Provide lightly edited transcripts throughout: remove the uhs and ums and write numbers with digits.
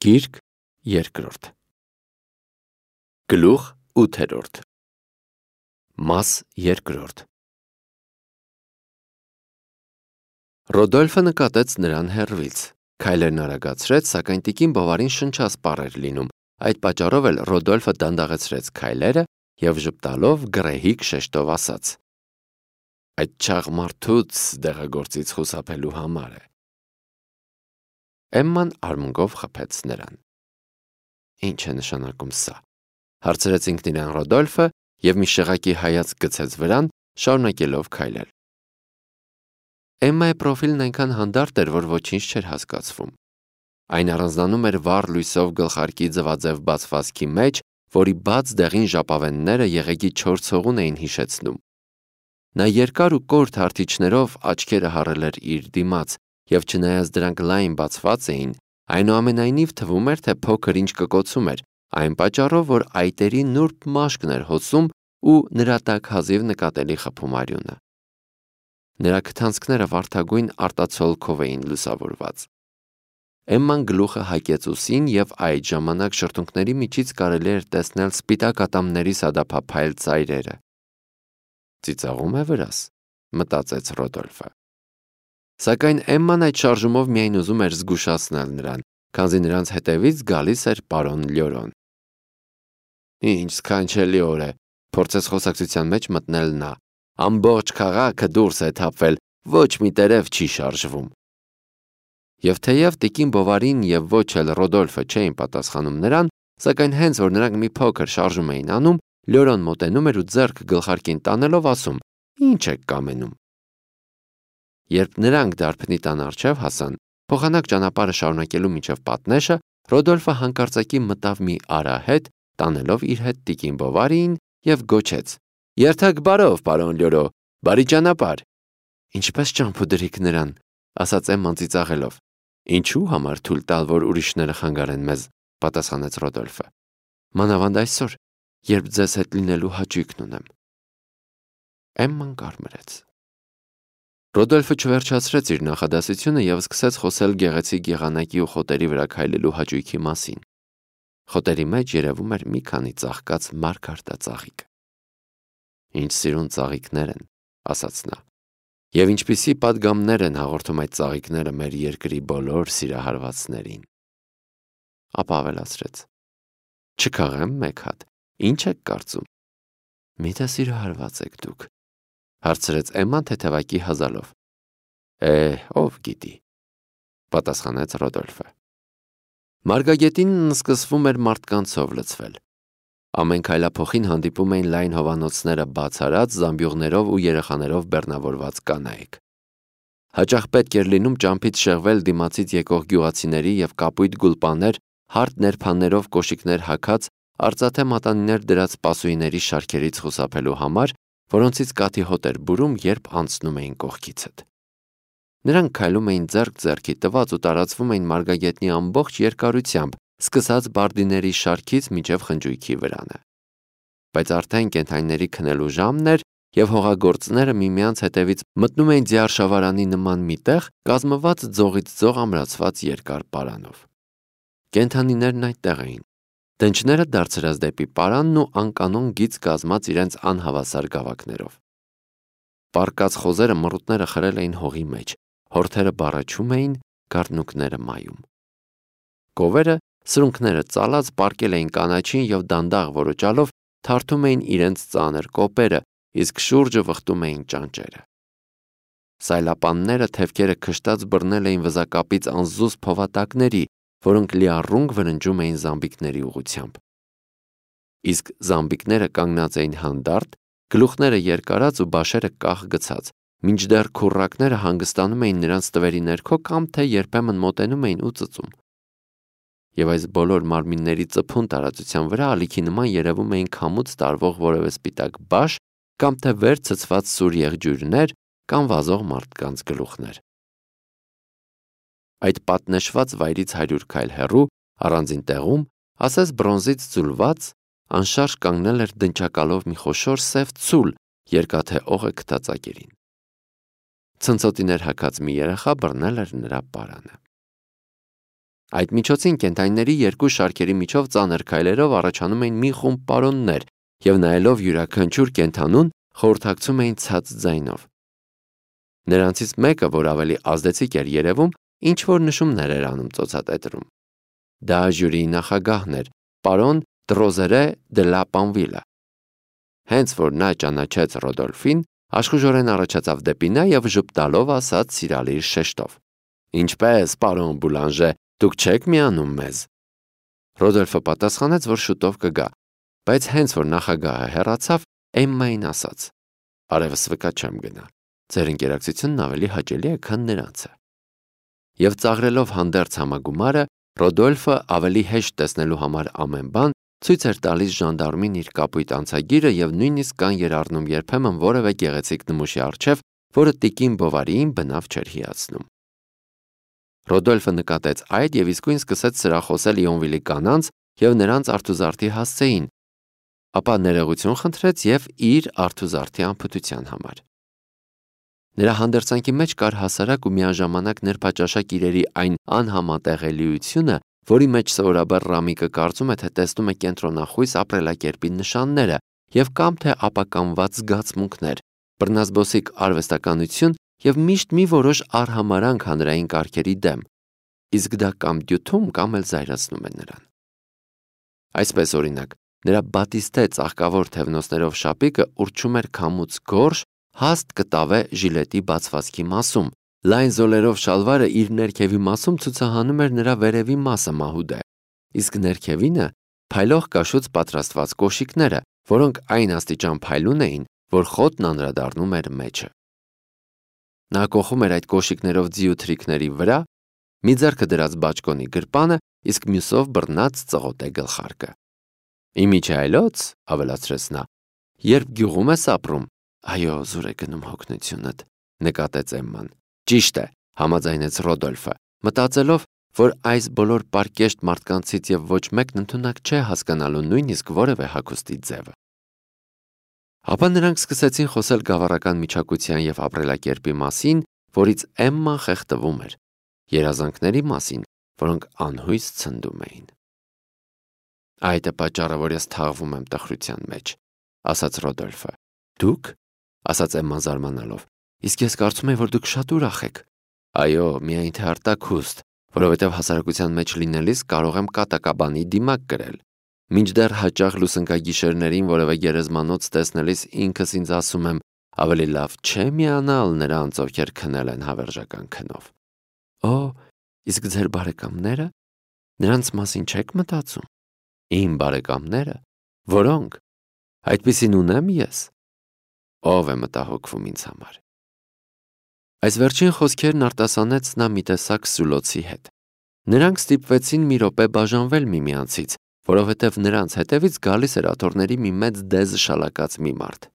Գիրք երկրորդ Գլուխ 8 Մաս երկրորդ Ռոդոլֆը նկատեց նրան հեռվից, քայլերն արագացրեց, սակայն տիկին Բովարին շնչասպառ էր լինում, այդ պատճառով էլ Ռոդոլֆը դանդաղեցրեց քայլերը և ժպտալով գռեհիկ շեշտով ասաց. «Այդ չաղ մարդուց դեղագործից խուսափելու համար է»։ Էմման արմունկով խփեց նրան։ «Ինչ է նշանակում սա»։ Հարցրեց ինքն իրեն Ռոդոլֆը և մի շեղակի հայացք գցեց վրան, շարունակելով քայլել։ Էմմայի պրոֆիլն այնքան հանդարտ էր, որ ոչինչ չէր հասկացվում։ Այն առանձնանում էր վառ լույսով գլխարկի ձվաձև բացվածքի մեջ, որի բաց դեղին ժապավենները եղեգի չոր ցողուն էին հիշեցնում։ Նա երկար ու կոր թարթիչներով աչքերը հառել էր իր դիմաց, և չնայած դրանք լայն բացված էին, այնուամենայնիվ թվում էր, թե փոքր ինչ կկոցում էր, այն պատճառով, որ այտերի նուրբ մաշկն էր հոսում ու նրա տակ հազիվ նկատելի խփում արյունը։ Նրա քթանցքները վարդագույն արտացոլքով էին լուսավորված։ Էմման գլուխը հագեց ուսին, և այդ ժամանակ շրթունքների միջից կարելի էր տեսնել սպիտակ ատամների սադափափայլ ծայրերը։ «Ծիծաղում է վրաս», մտածեց Ռոդոլֆը։ Սակայն Էմման այդ շարժումով միայն ուզում էր զգուշացնել նրան, քանզի նրանց հետևից գալիս էր պարոն Լյորոն։ «Ինչ սքանչելի օր է», փորձեց խոսակցության մեջ մտնել նա։ «Ամբողջ քաղաքը դուրս է թափվել, ոչ մի տերև չի շարժվում»։ Եվ թեև տիկին Բովարին և ոչ էլ Ռոդոլֆը չէին պատասխանում նրան, սակայն հենց որ նրանք մի փոքր շարժում էին անում, Լյորոն մոտենում էր ու ձեռքը գլխարկին տանելով ասում. «Ինչ եք կամենում»։ Երբ նրանք դարբնի տան առջև հասան, փոխանակ ճանապարհը շարունակելու մինչև պատնեշը, Ռոդոլֆը հանկարծակի մտավ մի արահետ, տանելով իր հետ տիկին Բովարիին, և գոչեց. «Երթաք բարով, պարոն Լյորո, բարի ճանապարհ»։ «Ինչպես ճամփու դրիք նրան», ասաց Էմման ծիծաղելով։ «Ինչու՞ համար թույլ տալ, որ ուրիշները խանգարեն մեզ», պատասխանեց Ռոդոլֆը։ «Մանավանդ այսօր, երբ ձեզ հետ լինելու հաճույքն ունեմ»։ Էմման կարմրեց։ Ռոդոլֆը չվերջացրեց իր նախադասությունը և սկսեց խոսել գեղեցիկ եղանակի ու խոտերի վրա քայլելու հաճույքի մասին։ Խոտերի մեջ երևում էր մի քանի ծաղկած մարգարտածաղիկ։ «Ինչ սիրուն ծաղիկներ են», ասաց նա։ «Եվ ինչպիսի պատգամներ են հաղորդում այդ ծաղիկները մեր երկրի բոլոր սիրահարվածներին»։ Ապա ավելացրեց. «Չքաղեմ մեկ հատ, ինչ եք կարծում»։ «Միթե սիրահարված եք դուք», հարցրեց Էմման թեթևակի հազալով։ Ով գիտի», պատասխանեց Ռոդոլֆը։ Մարգագետինն սկսվում էր մարդկանցով լցվել։ Ամեն քայլափոխին հանդիպում էին լայն հովանոցները բաց արած, զամբյուղներով ու երեխաներով բեռնավորված կանայք։ Հաճախ պետք էր լինում ճամփից շեղվել դիմացից եկող գյուղացիների և կապույտ գուլպաներ, հարթ ներփաններով կոշիկներ հագած, արծաթե մատանիներ դրած սպասուհիների շարքերից խուսափելու համար, որոնցից կաթի հոտ էր բուրում, երբ անցնում էին կողքիցդ։ Նրանք քայլում էին ձեռք ձեռքի տված ու տարածվում էին մարգագետնի ամբողջ երկարությամբ, սկսած բարդիների շարքից մինչև խնջույքի վրանը։ Բայց արդեն կենդանիների քնելու ժամն էր, և հողագործները միմյանց հետևից մտնում էին ձիարշավարանի նման մի տեղ, կազմված ձողից ձող ամրացված երկար պարանով։ Կենդանիներն այդտեղ էին, դնչները դարձրած դեպի պարանն ու անկանոն գիծ կազմած իրենց անհավասար գավակներով։ Պառկած խոզերը մռութները խրել էին հողի մեջ, հորթերը բառաչում էին, գառնուկները մայում։ Կովերը, սրունքները ծալած, պառկել էին կանաչին և դանդաղ որոճալով թարթում էին իրենց ծանր կոպերը, իսկ շուրջը վխտում էին ճանճերը։ Սայլապանները թևքերը քշտած բռնել էին վզակապից անզուսպ փովատակների, որոնք լիառունգ վրնջում էին զամբիկների ուղղությամբ։ Իսկ զամբիկները կանգնած էին հանդարտ, գլուխները երկարած ու բաշերը կախ գցած, մինչդեռ քուռակները հանգստանում էին նրանց տվերի ներքո կամ թե երբեմն մոտենում էին ու ծծում։ Եվ այս բոլոր մարմինների ծփուն տարածության վրա ալիքի նման երևում էին քամուց տարվող որևէ սպիտակ բաշ կամ թե վեր ցցված սուր եղջյուրներ կամ վազող մարդկանց գլուխներ։ Այդ պատնեշված վայրից 100 քայլ հեռու, առանձին տեղում, ասես բրոնզից ձուլված, անշարժ կանգնել էր դնչակալով մի խոշոր սև ցուլ երկաթե օղը քթածակերին։ Ցնցոտիներ հագած մի երեխա բռնել էր նրա պարանը։ Այդ միջոցին կենդանիների երկու շարքերի միջով ծանր քայլերով առաջանում էին մի խումբ պարոններ և նայելով յուրաքանչյուր կենդանուն խորհրդակցում էին ցած ձայնով։ Նրանցից մեկը, որ ավելի ազդեցիկ էր երևում, ինչ-որ նշումներ էր անում ծոցատետրում։ Դա ժյուրիի նախագահն էր, պարոն Տրոզերե դե լա Պանվիլը։ Հենց որ նա ճանաչեց Ռոդոլֆին, աշխուժորեն առաջացավ դեպի նա և ժպտալով ասաց սիրալիր շեշտով. «Ինչպե՞ս, պարոն Բուլանժե, դուք չեք միանում մեզ»։ Ռոդոլֆը պատասխանեց, որ շուտով կգա, բայց հենց որ նախագահը հեռացավ, Էմմային ասաց. «Արևս վկա չեմ գնա, ձեր ընկերակցությունն ավելի հաճելի է, քան նրանցը»։ Եվ ծաղրելով հանդերձ համագումարը, Ռոդոլֆը ավելի հեշտ տեսնելու համար ամեն բան ցույց էր տալիս ժանդարմին իր կապույտ անցագիրը և նույնիսկ կան էր առնում երբեմն որևէ գեղեցիկ նմուշի առջև, որը տիկին Բովարիին բնավ չէր հիացնում։ Ռոդոլֆը նկատեց այդ և իսկույն սկսեց սրախոսել Իոնվիլի կանանց և նրանց արթուզարդի հասցեին, ապա ներողություն խնդրեց և իր արթուզարդի անփութության համար։ Նրա հանդերձանքի մեջ կար հասարակ ու միաժամանակ նրբաճաշակ իրերի այն անհամատեղելիությունը, որի մեջ սովորաբար Ռամիկը կարծում է, թե տեսնում է կենտրոնախույս ապրելակերպի նշանները և կամ թե ապականված զգացմունքներ, բռնազբոսիկ արվեստականություն և միշտ մի որոշ արհամարհանք հանրային կարգերի դեմ, իսկ դա կամ դյութում, կամ էլ զայրացնում է նրան։ Այսպես օրինակ, նրա բատիստե ծաղկավոր թևնոցներով շապիկը ուռչում էր քամուց գորշ, հաստ կտավե ժիլետի բացվածքի մասում, լայն զոլերով շալվարը իր ներքևի մասում ցուցահանում էր նրա վերևի մասը մահուդե, իսկ ներքևինը փայլող կաշուց պատրաստված կոշիկները, որոնք այն աստիճան փայլուն էին, որ խոտն անդրադառնում էր մեջը։ Նա կոխում էր այդ կոշիկներով ձիու թրիքների վրա, մի ձեռքը դրած բաճկոնի գրպանը, իսկ մյուսով բռնած ծղոտե գլխարկը։ «Իմիջայլոց», ավելացրեց նա, «երբ գյուղում ես ապրում, այո, զուր է գնում հոգնությունդ», նկատեց Էմման։ «Ճիշտ է», համաձայնեց Ռոդոլֆը, մտածելով, որ այս բոլոր պարկեշտ մարդկանցից և ոչ մեկն ընդունակ չէ հասկանալու նույնիսկ որևէ հագուստի ձևը։ Ապա նրանք սկսեցին խոսել գավառական միջակության և ապրելակերպի մասին, որից Էմման խեղդվում էր, երազանքների մասին, որոնք անհույս ցնդում էին։ «Այդ է պատճառը, որ ես թաղվում եմ տխրության մեջ», ասաց Ռոդոլֆը։ «Դուք», ասաց Էմման զարմանալով, «իսկ ես կարծում էի, որ դուք շատ ուրախ եք»։ «Այո, միայն թե արտաքուստ, որովհետև հասարակության մեջ լինելիս կարող եմ կատակաբանի դիմակ կրել։ Մինչդեռ հաճախ լուսնկագիշերներին որևէ գերեզմանոց տեսնելիս ինքս ինձ ասում եմ, ավելի լավ չէ միանալ նրանց, ովքեր քնել են հավերժական քնով»։ «Օ, իսկ ձեր բարեկամները, նրանց մասին չեք մտածում»։ «Իմ բարեկամները, որոնք, այդպիսին ունեմ ես»։ «Ով է մտահոգվում ինձ համար»։ Այս վերջին խոսքերն արտասանեց նա մի տեսակ սուլոցի հետ։ Նրանք ստիպվեցին մի րոպե բաժանվել միմյանցից, որովհետև նրանց հետևից գալիս էր աթոռների մի մեծ դեզ շալակած մի մարդ։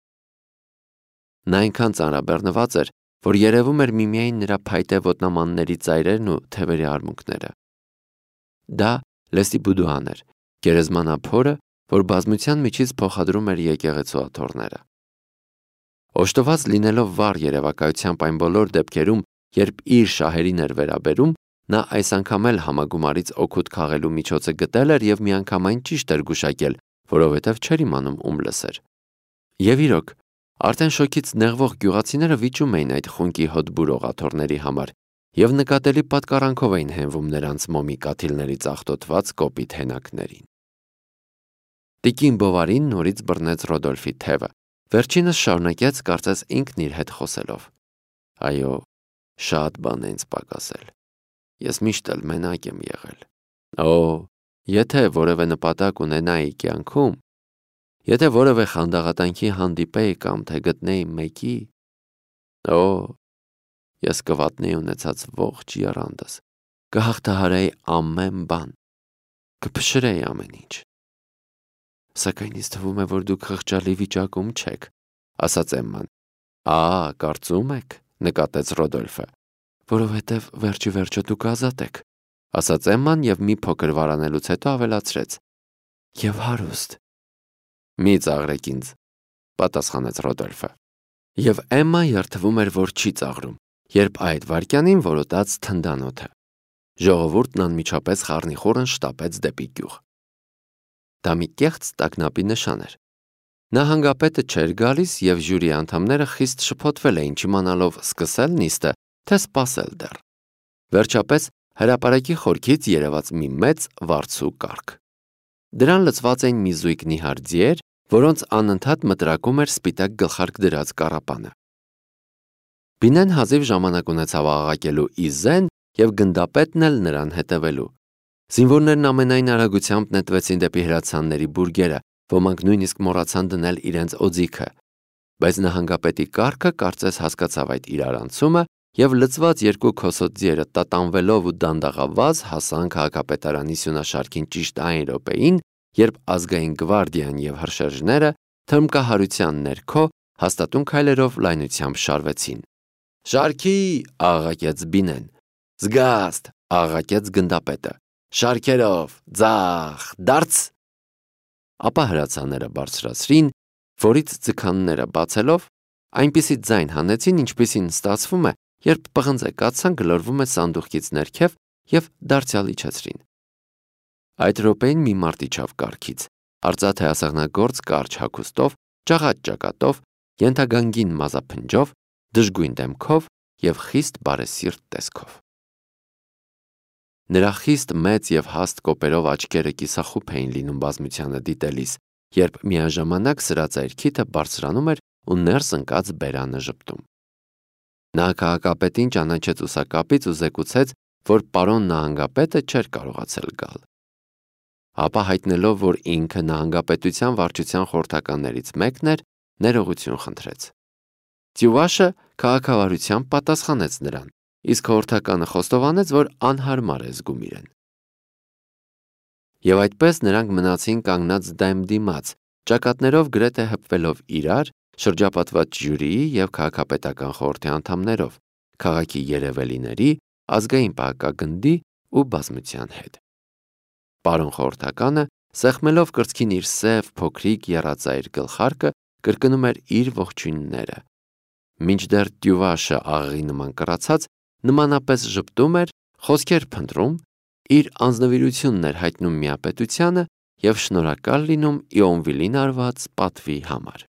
Նա այնքան ծանրաբեռնված էր, որ երևում էր միմիայն նրա փայտե ոտնամանների ծայրերն ու թևերի արմունկները։ Դա Լեսլի Բուդուան էր, գերեզմանափորը, որ բազմության միջից փոխադրում էր եկեղեցու աթոռները։ Օժտված լինելով վառ երևակայությամբ այն բոլոր դեպքերում, երբ իր շահերին էր վերաբերում, նա այս անգամ էլ համագումարից օգուտ քաղելու միջոցը գտել էր և միանգամայն ճիշտ էր գուշակել, որովհետև չէր իմանում ում լսեր։ Եվ իրոք, արդեն շոգից նեղվող գյուղացիները վիճում էին այդ խունկի հոտ բուրող աթոռների համար և նկատելի պատկառանքով էին հենվում նրանց մոմի կաթիլների ծաղտոտված կոպիտ հենակներին։ Տիկին Բովարին նորից բռնեց Ռոդոլֆի թևը, վերջինս շարունակեց կարծես ինքն իր հետ խոսելով. «Այո, շատ բան է ինձ պակասել։ Ես միշտ էլ մենակ եմ եղել։ Օ, եթե որևէ նպատակ ունենայի կյանքում, եթե որևէ խանդաղատանքի հանդիպեի կամ թե գտնեի մեկի, օ, ես կվատնեի ունեցած ողջ եռանդս, կհաղթահարեի ամեն բան, կփշրեի ամեն ինչ։ Սակայն ինձ թվում է, որ դուք խղճալի վիճակում չեք», ասաց Էմման։ Կարծում եք, նկատեց Ռոդոլֆը, որովհետև վերջի վերջո դուք ազատ եք, ասաց Էմման և մի փոքր վարանելուց հետո ավելացրեց. «Եվ հարուստ»։ «Մի ծաղրեք ինձ», պատասխանեց Ռոդոլֆը։ Եվ Էմման երդվում էր, որ չի ծաղրում, երբ այդ վայրկյանին որոտաց թնդանոթը։ Ժողովուրդն անմիջապես խառնիխուռն շտապեց դեպի գյուղ։ Դա մի կեղծ տագնապի նշան էր։ Նահանգապետը չէր գալիս և ժյուրի անդամները խիստ շփոթվել էին չիմանալով սկսել նիստը, թե սպասել դեռ։ Վերջապես հրապարակի խորքից երևաց մի մեծ վարձու կառք։ Դրան լցված էին մի զույգ նիհար ձիեր, որոնց անընդհատ մտրակում էր սպիտակ գլխարկ դրած կառապանը։ Բինեն հազիվ ժամանակ ունեցավ աղաղակելու «Իզեն» և գնդապետն էլ նրան հետևելու։ Զինվորներն ամենայն արագությամբ նետվեցին դեպի հրացանների բուրգերը, ոմանք նույնիսկ մոռացան դնել իրենց օձիքը։ Բայց նահանգապետի կառքը կարծես հասկացավ այդ իրարանցումը և լցված երկու քոսոտ ձիերը տատանվելով ու դանդաղավազ հասան քաղաքապետարանի սյունաշարքին ճիշտ այն րոպեին, երբ ազգային գվարդիան և հրշեջները թրմկահարության ներքո հաստատուն քայլերով լայնությամբ շարվեցին։ «Շարքի!» աղաղակեց Բինեն։ «Զգաստ!» աղաղակեց գնդապետը։ «Շարքերով, ձախ, դարձ»։ Ապա հրացանները բարձրացրին, որից ձգանները բացելով այնպիսի ձայն հանեցին, ինչպիսին ստացվում է, երբ պղնձե կաթսան գլորվում է սանդուղքից ներքև և դարձյալ իջեցրին։ Այդ րոպեին մի մարդ իջավ կառքից, արծաթե ասեղնագործ կարճ հագուստով, ջաղած ճակատով, ենթագանգին մազափնջով, դժգույն դեմքով և խիստ բարեսիրտ տեսքով։ Նրա խիստ մեծ և հաստ կոպերով աչքերը կիսախուփ էին լինում բազմությանը դիտելիս, երբ միաժամանակ սրածայր քիթը բարձրանում էր ու ներս ընկած բերանը ժպտում։ Նա քաղաքապետին ճանաչեց ուսակապից ու զեկուցեց, որ պարոն նահանգապետը չէր կարողացել գալ։ Ապա հայտնելով, որ ինքը նահանգապետության վարչության խորհրդականներից մեկն էր, ներողություն խնդրեց։ Տյուվաշը քաղաքավարությամբ պատասխանեց նրան, իսկ խորհրդականը խոստովանեց, որ անհարմար է զգում իրեն։ Եվ այդպես նրանք մնացին կանգնած դեմ դիմաց, ճակատներով գրեթե հպվելով իրար, շրջապատված ժյուրիի և քաղաքապետական խորհրդի անդամներով, քաղաքի երևելիների, ազգային պահակագնդի ու բազմության հետ։ Պարոն խորհրդականը, սեղմելով կրծքին իր սև, փոքրիկ, եռածայր գլխարկը, կրկնում էր իր ողջույնները։ Մինչդեռ Տյուվաշը աղեղի նման կռացած, նմանապես ժպտում էր, խոսքեր փնտրում, իր անձնվիրությունն էր հայտնում միապետությանը և շնորհակալ լինում Իոնվիլին արված պատվի համար։